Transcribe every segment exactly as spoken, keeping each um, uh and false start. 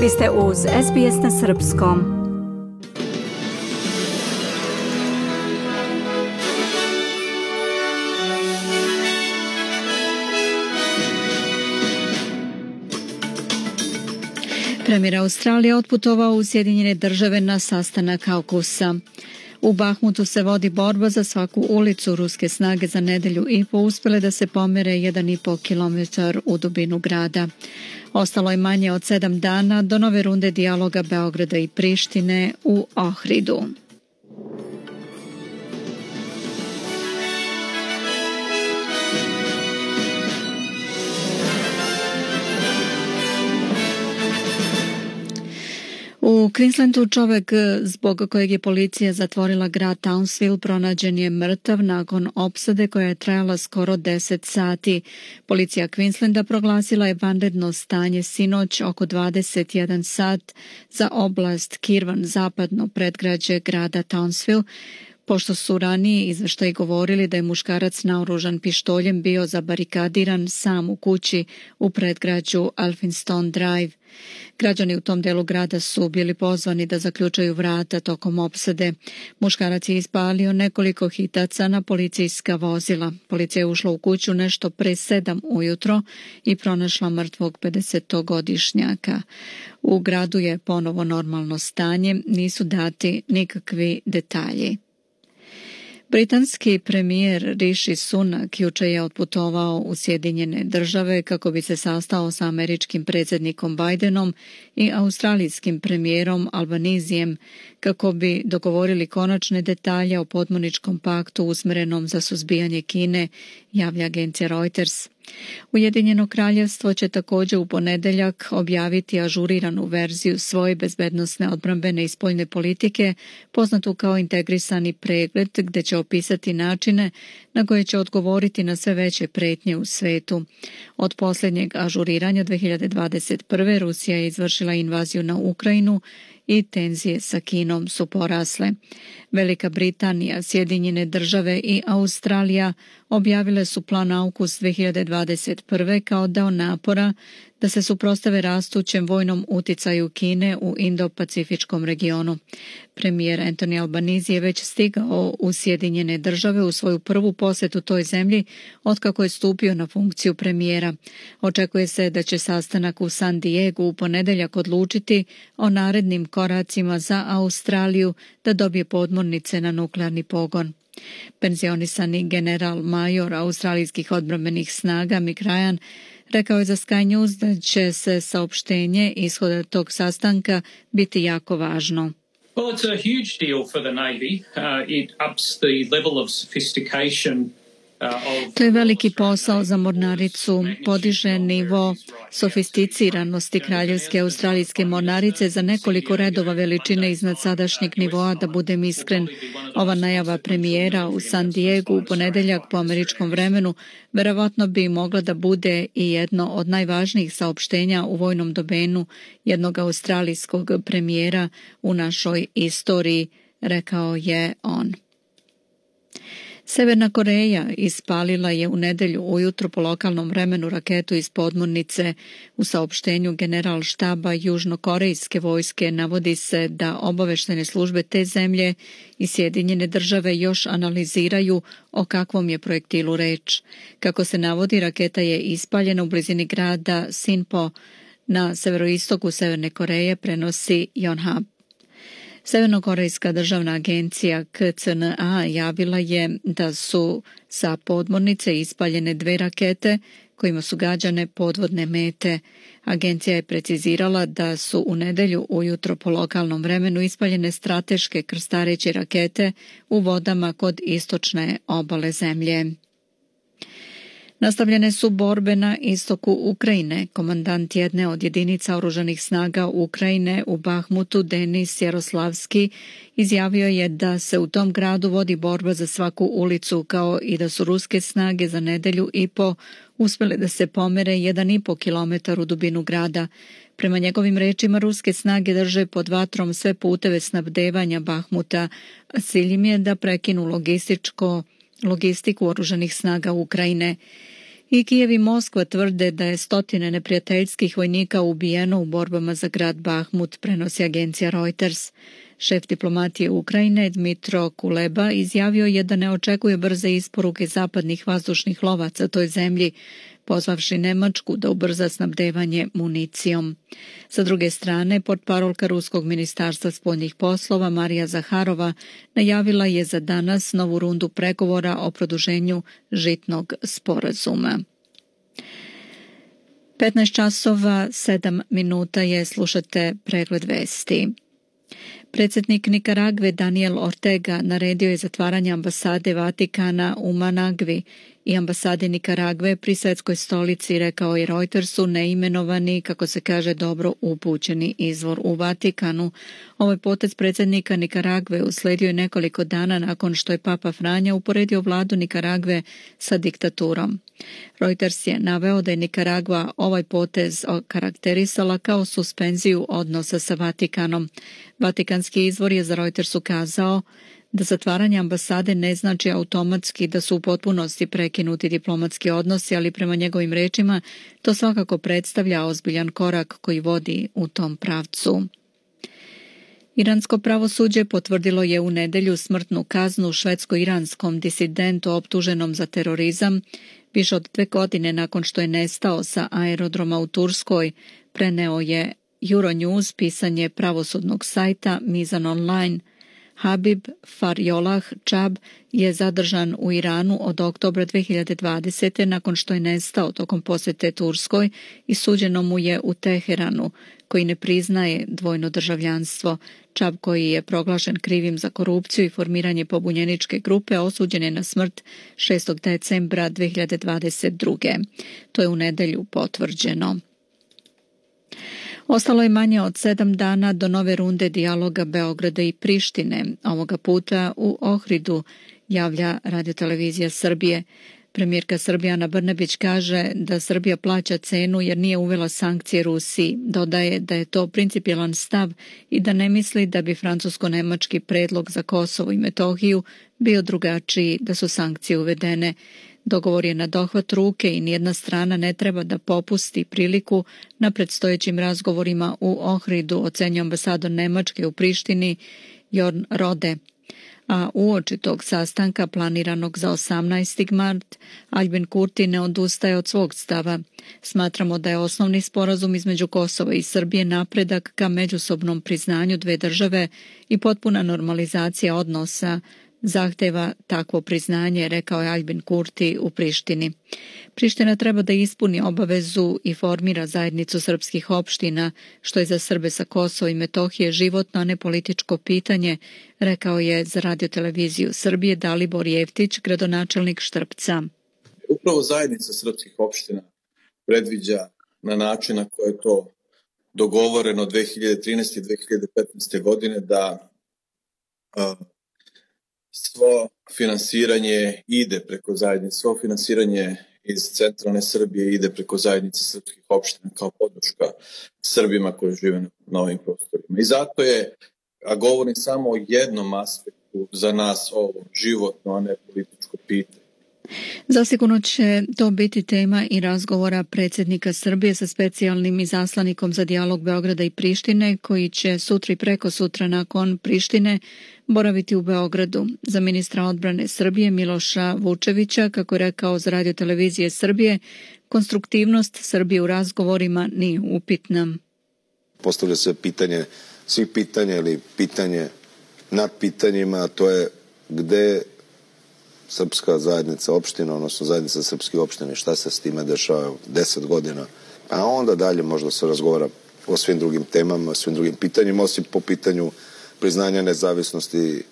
Vi ste uz S B S na srpskom. Premijer Australije otputovao u Sjedinjene Države na sastanak AUKUS-a. U Bahmutu se vodi borba za svaku ulicu. Ruske snage za nedelju i po uspjele da se pomere jedan i po kilometar u dubinu grada. Ostalo je manje od sedam dana do nove runde dijaloga Beograda i Prištine u Ohridu. U Queenslandu čovjek zbog kojeg je policija zatvorila grad Townsville pronađen je mrtav nakon opsade koja je trajala skoro deset sati. Policija Queenslanda proglasila je vanredno stanje sinoć oko dvadeset jedan sat za oblast Kirwan, zapadno predgrađe grada Townsville, pošto su ranije izveštaji govorili da je muškarac naoružan pištoljem bio zabarikadiran sam u kući u predgrađu Elphinstone Drive. Građani u tom delu grada su bili pozvani da zaključaju vrata tokom opsade. Muškarac je ispalio nekoliko hitaca na policijska vozila. Policija je ušla u kuću nešto pre sedam ujutro i pronašla mrtvog pedesetogodišnjaka. U gradu je ponovo normalno stanje, nisu dati nikakvi detalji. Britanski premijer Rishi Sunak juče je otputovao u Sjedinjene Države kako bi se sastao sa američkim predsjednikom Bidenom i australijskim premijerom Albanizijem kako bi dogovorili konačne detalje o podmorničkom paktu usmjerenom za suzbijanje Kine, javlja agencija Reuters. Ujedinjeno kraljevstvo će također u ponedjeljak objaviti ažuriranu verziju svoje bezbednosne, odbrambene i spoljne politike, poznatu kao integrisani pregled, gdje će opisati načine na koje će odgovoriti na sve veće prijetnje u svijetu. Od posljednjeg ažuriranja dvije hiljade dvadeset prve. Rusija je izvršila invaziju na Ukrajinu i tenzije sa Kinom su porasle. Velika Britanija, Sjedinjene Države i Australija objavile su plan AUKUS dvije hiljade dvadeset prve kao deo napora da se suprotstave rastućem vojnom uticaju Kine u Indo-Pacifičkom regionu. Premijer Anthony Albanese je već stigao u Sjedinjene Države u svoju prvu posjetu toj zemlji otkako je stupio na funkciju premijera. Očekuje se da će sastanak u San Diegu u ponedjeljak odlučiti o narednim koracima za Australiju da dobije podmornice na nuklearni pogon. Penzionisani general major australijskih odbrambenih snaga Mick Ryan rekao je za Sky News da će se saopštenje ishoda tog sastanka biti jako važno. Well, it's a huge deal for the Navy. Uh, it ups the level of sophistication. To je veliki posao za mornaricu, podiže nivo sofisticiranosti kraljevske australijske mornarice za nekoliko redova veličine iznad sadašnjeg nivoa, da budem iskren. Ova najava premijera u San Diegu u ponedjeljak po američkom vremenu verovatno bi mogla da bude i jedno od najvažnijih saopštenja u vojnom domenu jednog australijskog premijera u našoj istoriji, rekao je on. Severna Koreja ispalila je u nedjelju ujutro po lokalnom vremenu raketu iz podmornice. U saopštenju general štaba južnokorejske vojske navodi se da obavještajne službe te zemlje i Sjedinjene Države još analiziraju o kakvom je projektilu reč. Kako se navodi, raketa je ispaljena u blizini grada Sinpo na severoistoku Severne Koreje, prenosi Yonhap. Severnokorejska državna agencija K C N A javila je da su sa podmornice ispaljene dve rakete kojima su gađane podvodne mete. Agencija je precizirala da su u nedjelju ujutro po lokalnom vremenu ispaljene strateške krstareće rakete u vodama kod istočne obale zemlje. Nastavljene su borbe na istoku Ukrajine. Komandant jedne od jedinica oružanih snaga Ukrajine u Bahmutu, Denis Jaroslavski, izjavio je da se u tom gradu vodi borba za svaku ulicu, kao i da su ruske snage za nedelju i po uspjele da se pomere jedan i po kilometar u dubinu grada. Prema njegovim rečima, ruske snage drže pod vatrom sve puteve snabdevanja Bahmuta, a cilj im je da prekinu logističko logistiku oružanih snaga Ukrajine. I Kijev i Moskva tvrde da je stotine neprijateljskih vojnika ubijeno u borbama za grad Bahmut, prenosi agencija Reuters. Šef diplomatije Ukrajine Dmitro Kuleba izjavio je da ne očekuje brze isporuke zapadnih vazdušnih lovaca toj zemlji, pozvavši Nemačku da ubrza snabdevanje municijom. Sa druge strane, portparolka Ruskog ministarstva spoljnih poslova Marija Zaharova najavila je za danas novu rundu pregovora o produženju žitnog sporazuma. petnaest časova sedam minuta je, slušate pregled vesti. Predsjednik Nikaragve Daniel Ortega naredio je zatvaranje ambasade Vatikana u Managvi i ambasade Nikaragve pri svetskoj stolici, rekao je Reutersu neimenovani, kako se kaže, dobro upućeni izvor u Vatikanu. Ovaj potez predsjednika Nikaragve usledio je nekoliko dana nakon što je Papa Franja uporedio vladu Nikaragve sa diktaturom. Reuters je naveo da je Nikaragva ovaj potez okarakterisala kao suspenziju odnosa sa Vatikanom. Vatikanski izvor je za Reuters ukazao da zatvaranje ambasade ne znači automatski da su u potpunosti prekinuti diplomatski odnosi, ali prema njegovim rečima to svakako predstavlja ozbiljan korak koji vodi u tom pravcu. Iransko pravosuđe potvrdilo je u nedjelju smrtnu kaznu švedsko-iranskom disidentu optuženom za terorizam više od dve godine nakon što je nestao sa aerodroma u Turskoj, preneo je Euronews pisanje pravosudnog sajta Mizan Online. Habib Farjolah Čab je zadržan u Iranu od oktobra dve hiljade dvadesete nakon što je nestao tokom posjete Turskoj i suđeno mu je u Teheranu, koji ne priznaje dvojno državljanstvo. Čab, koji je proglašen krivim za korupciju i formiranje pobunjeničke grupe, osuđen je na smrt šestog decembra dve hiljade dvadeset druge. To je u nedjelju potvrđeno. Ostalo je manje od sedam dana do nove runde dijaloga Beograda i Prištine, ovoga puta u Ohridu, javlja Radiotelevizija Srbije. Premijerka Srbije Ana Brnabić kaže da Srbija plaća cenu jer nije uvela sankcije Rusiji. Dodaje da je to principijelan stav i da ne misli da bi francusko-nemački predlog za Kosovo i Metohiju bio drugačiji da su sankcije uvedene. Dogovor je na dohvat ruke i nijedna strana ne treba da popusti priliku na predstojećim razgovorima u Ohridu, ocenjuje ambasador Nemačke u Prištini Jorn Rode. A uoči tog sastanka planiranog za osamnaesti mart, Albin Kurti ne odustaje od svog stava. Smatramo da je osnovni sporazum između Kosova i Srbije napredak ka međusobnom priznanju dve države i potpuna normalizacija odnosa zahteva takvo priznanje, rekao je Albin Kurti u Prištini. Priština treba da ispuni obavezu i formira zajednicu srpskih opština, što je za Srbe sa Kosova i Metohije životno, a ne političko pitanje, rekao je za Radioteleviziju Srbije Dalibor Jeftić, gradonačelnik Štrpca. Upravo zajednica srpskih opština predviđa na način na koji je to dogovoreno dve hiljade trinaeste i dve hiljade petnaeste godine da uh, svo finansiranje ide preko zajednice, svo finansiranje iz centralne Srbije ide preko zajednice srpskih opština kao podrška Srbima koji žive na ovim prostorima. I zato je, a govorim samo o jednom aspektu za nas ovo životno, a ne političko pitanje. Zasigurno će to biti tema i razgovora predsjednika Srbije sa specijalnim izaslanikom za dijalog Beograda i Prištine, koji će sutra i preko sutra nakon Prištine boraviti u Beogradu. Za ministra odbrane Srbije Miloša Vučevića, kako je rekao za Radiotelevizije Srbije, konstruktivnost Srbije u razgovorima nije upitna. Postavlja se pitanje svih pitanja ili pitanje nad pitanjima, a to je gde srpska zajednica opština, odnosno zajednica srpskih opština, šta se s time dešava deset godina, a onda dalje možda se razgovara o svim drugim temama, o svim drugim pitanjima, osim po pitanju priznanja nezavisnosti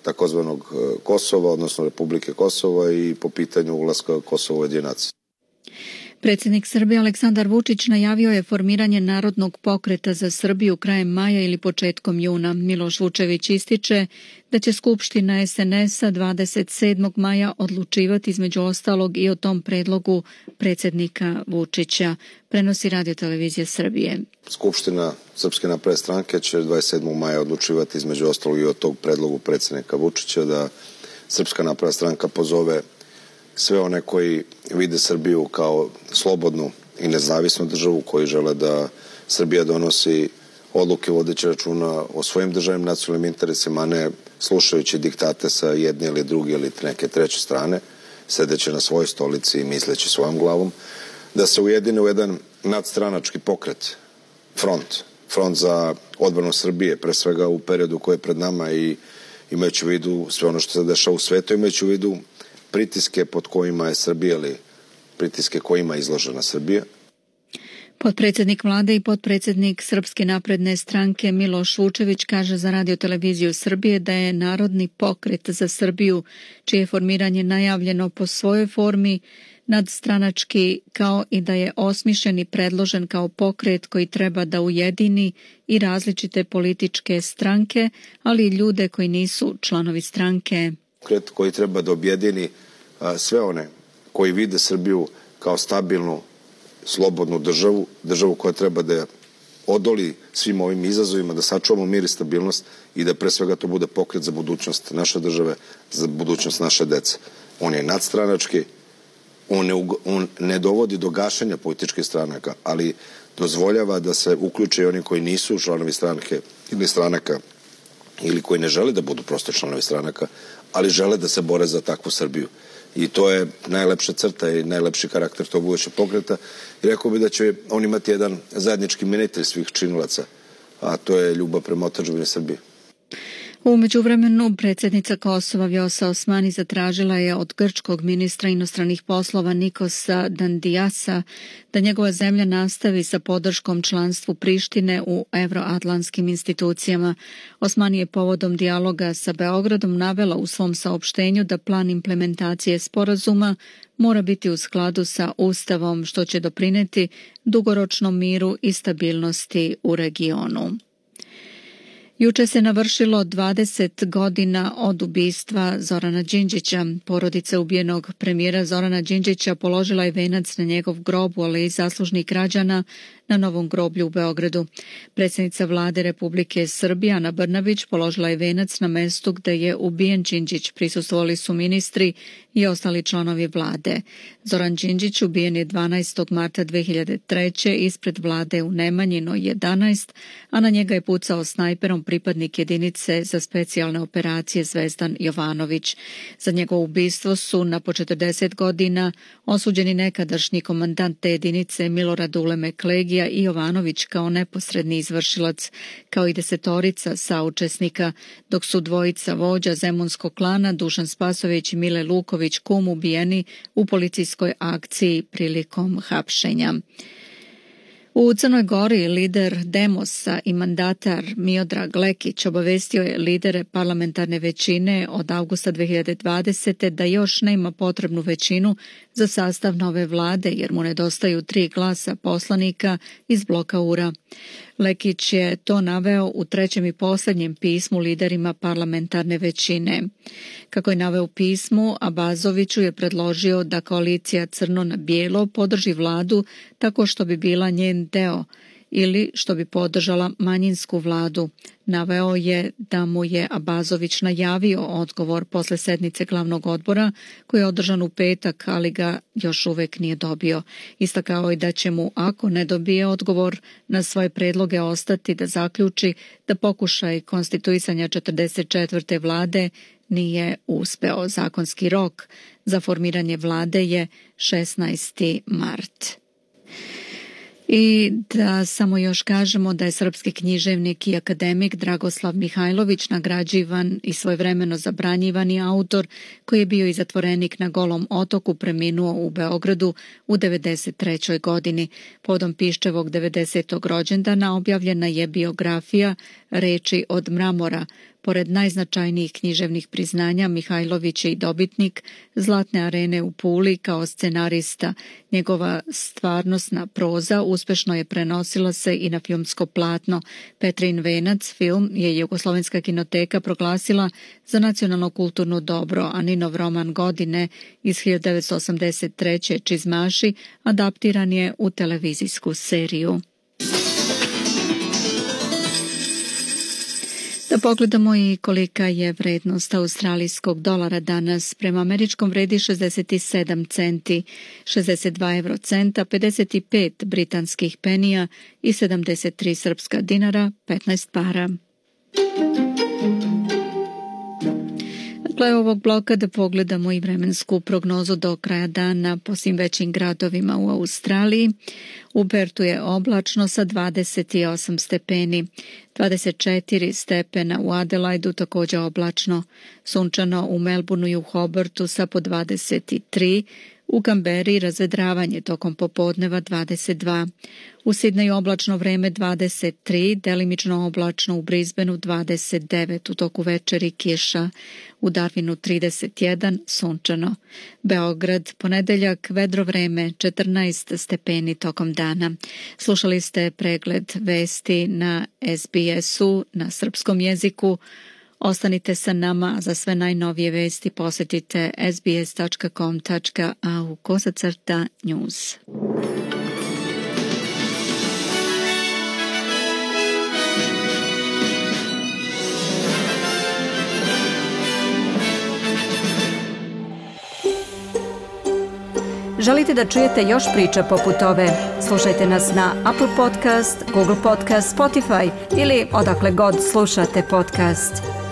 takozvanog Kosova, odnosno Republike Kosova, i po pitanju ulaska Kosova u Ujedinjene nacije. Predsjednik Srbije Aleksandar Vučić najavio je formiranje Narodnog pokreta za Srbiju krajem maja ili početkom juna. Miloš Vučević ističe da će Skupština es en es-a dvadeset sedmog maja odlučivati između ostalog i o tom predlogu predsjednika Vučića, prenosi Radiotelevizija Srbije. Skupština Srpske napredne stranke će dvadeset sedmog maja odlučivati između ostalog i o tog predlogu predsjednika Vučića da Srpska napredna stranka pozove sve one koji vide Srbiju kao slobodnu i nezavisnu državu, koji žele da Srbija donosi odluke vodeće računa o svojim državnim nacionalnim interesima, a ne slušajući diktate sa jedne ili druge ili neke treće strane, sedeći na svojoj stolici i misleći svojom glavom, da se ujedine u jedan nadstranački pokret, front, front za odbranu Srbije, pre svega u periodu koji je pred nama i imajući u vidu sve ono što se dešava u svetu, imajući u vidu pritiske pod kojima je Srbija ili pritiske kojima je izložena Srbija. Potpredsjednik vlade i potpredsjednik Srpske napredne stranke Miloš Vučević kaže za Radio televiziju Srbije da je Narodni pokret za Srbiju, čije je formiranje najavljeno po svojoj formi, nadstranački, kao i da je osmišljen i predložen kao pokret koji treba da ujedini i različite političke stranke, ali i ljude koji nisu članovi stranke. Pokret koji treba da objedini sve one koji vide Srbiju kao stabilnu, slobodnu državu, državu koja treba da odoli svim ovim izazovima, da sačuvamo mir i stabilnost i da pre svega to bude pokret za budućnost naše države, za budućnost naše dece. On je nadstranački, on ne, on ne dovodi do gašenja političkih stranaka, ali dozvoljava da se uključe i oni koji nisu članovi stranke ili stranaka ili koji ne žele da budu prosto članovi stranaka, ali žele da se bore za takvu Srbiju. I to je najlepša crta i najlepši karakter tog budućeg pokreta. I rekao bi da će on imati jedan zajednički imenitelj svih činilaca, a to je ljubav prema otadžbini Srbije. U međuvremenu predsjednica Kosova Vjosa Osmani zatražila je od grčkog ministra inostranih poslova Nikosa Dandijasa da njegova zemlja nastavi sa podrškom članstvu Prištine u evroatlantskim institucijama. Osmani je povodom dijaloga sa Beogradom navela u svom saopštenju da plan implementacije sporazuma mora biti u skladu sa Ustavom, što će doprineti dugoročnom miru i stabilnosti u regionu. Juče se navršilo dvadeset godina od ubistva Zorana Đinđića. Porodica ubijenog premijera Zorana Đinđića položila je venac na njegov grob u Aleji zaslužnih građana na Novom groblju u Beogradu. Predsjednica vlade Republike Srbije Ana Brnabić položila je venac na mestu gde je ubijen Đinđić. Prisustvovali su ministri i ostali članovi vlade. Zoran Đinđić ubijen je dvanaestog marta dve hiljade treće ispred vlade u Nemanjinoj jedanaest, a na njega je pucao snajperom pripadnik jedinice za specijalne operacije Zvezdan Jovanović. Za njegovo ubistvo su na po četrdeset godina osuđeni nekadašnji komandant te jedinice Milorad Uleme Klegija i Jovanović kao neposredni izvršilac, kao i desetorica saučesnika, dok su dvojica vođa zemunskog klana Dušan Spasović i Mile Luković Kum ubijeni u policijskoj akciji prilikom hapšenja. U Crnoj Gori lider Demosa i mandatar Miodrag Lekić obavestio je lidere parlamentarne većine od avgusta dve hiljade dvadesete da još nema potrebnu većinu za sastav nove vlade jer mu nedostaju tri glasa poslanika iz bloka U R A. Lekić je to naveo u trećem i posljednjem pismu liderima parlamentarne većine. Kako je naveo u pismu, Abazoviću je predložio da koalicija Crno na bijelo podrži vladu tako što bi bila njen deo ili što bi podržala manjinsku vladu. Naveo je da mu je Abazović najavio odgovor posle sednice glavnog odbora koji je održan u petak, ali ga još uvek nije dobio. Istakao je da će mu, ako ne dobije odgovor na svoje predloge, ostati da zaključi da pokušaj konstituisanja četrdeset četvrte vlade nije uspeo. Zakonski rok za formiranje vlade je šesnaesti mart. I da samo još kažemo da je srpski književnik i akademik Dragoslav Mihajlović nagrađivan i svojevremeno zabranjivani autor koji je bio i zatvorenik na Golom otoku preminuo u Beogradu u devedeset trećoj godini. Povodom Piščevog devedesetog rođendana objavljena je biografija Reči od mramora. Pored najznačajnijih književnih priznanja, Mihajlović je i dobitnik Zlatne arene u Puli kao scenarista. Njegova stvarnosna proza uspešno je prenosila se i na filmsko platno. Petrin venac film je Jugoslovenska kinoteka proglasila za nacionalno kulturno dobro, a Ninov roman godine iz hiljadu devetsto osamdeset treće Čizmaši adaptiran je u televizijsku seriju. Da pogledamo i kolika je vrednost australijskog dolara danas. Prema američkom vredi šezdeset sedam centi, šezdeset dva eurocenta, pedeset pet britanskih penija i sedamdeset tri srpska dinara, petnaest para. Dakle, ovog bloka da pogledamo i vremensku prognozu do kraja dana po svim većim gradovima u Australiji. U Pertu je oblačno sa dvadeset osam stepeni, dvadeset četiri stepena u Adelaidu, također oblačno, sunčano u Melbourneu i u Hobartu sa po dvadeset tri, u Kamberi razvedravanje tokom popodneva dvadeset dva, u Sidneju oblačno vreme dvadeset tri, delimično oblačno u Brisbaneu dvadeset devet, u toku večeri kiša, u Darwinu trideset jedan, sunčano. Beograd, ponedeljak, vedro vreme, četrnaest stepeni tokom dana. Slušali ste pregled vesti na S B S-u na srpskom jeziku. Ostanite sa nama, za sve najnovije vesti posjetite s b s tačka com tačka a u kosacrta news. Želite da čujete još priča poput ove? Slušajte nas na Apple Podcast, Google Podcast, Spotify ili odakle god slušate podcast.